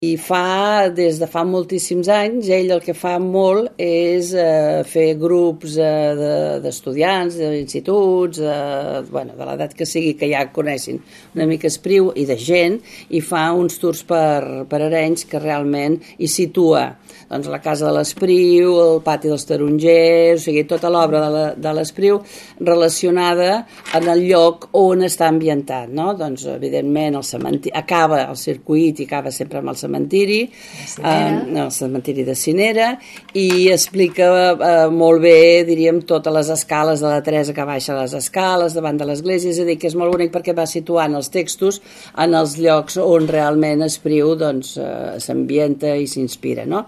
I des de fa moltíssims anys, ell el que fa molt és fer grups d'estudiants, d'instituts, de l'edat que sigui, que ja coneixin una mica Espriu i de gent, i fa uns tours per Arenys que realment hi situa doncs, la casa de l'Espriu, el pati dels tarongers, o sigui, tota l'obra de l'Espriu relacionada en el lloc on està ambientat, no? Doncs, evidentment, acaba el circuit i acaba sempre amb el cementiri de Cinera, i explica molt bé, diríem, totes les escales de la Teresa que baixa les escales davant de l'església, és a dir, que és molt bonic perquè va situant els textos en els llocs on realment Espriu s'ambienta i s'inspira, no?